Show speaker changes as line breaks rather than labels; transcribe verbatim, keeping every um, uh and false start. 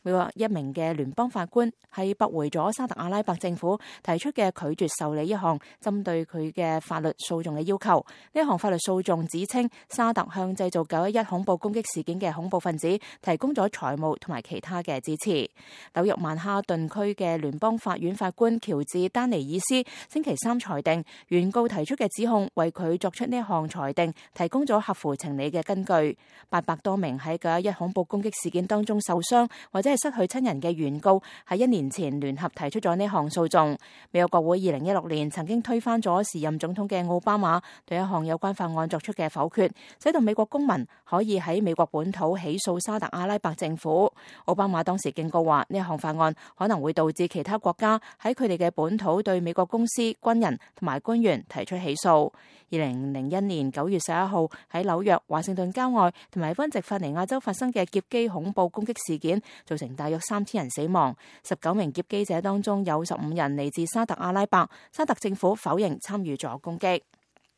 美國一名嘅聯邦法官係駁回咗沙特阿拉伯政府提出嘅拒絕受理一項針對佢嘅法律訴訟嘅要求。呢項法律訴訟指稱沙特向製造九一一恐怖攻擊事件嘅恐怖分子提供咗財務同埋其他嘅支持。紐約曼哈頓區嘅聯邦法院法官喬治丹尼爾斯星期三裁定，原告提出嘅指控為佢作出呢一項裁定提供咗合乎情理嘅根據。八百多名喺九一一恐怖攻擊事件當中受傷或者係失去親人嘅原告喺一年前聯合提出咗呢項訴訟。美國國會二零一六年曾經推翻咗時任總統嘅奧巴馬對一項有關法案作出嘅否決，使到美國公民可以喺美國本土起訴沙特阿拉伯政府。奧巴馬當時警告話，呢項法案可能會導致其他國家喺佢哋嘅本土對美國公司、軍人同埋官員提出起訴。二零零一年九月十一號喺紐約、華盛頓郊外同埋賓夕法尼亞州發生嘅劫機恐怖攻擊事件，造成大約三千人死亡。十九名劫機者當中有十五人嚟自沙特阿拉伯，沙特政府否認參與咗攻擊。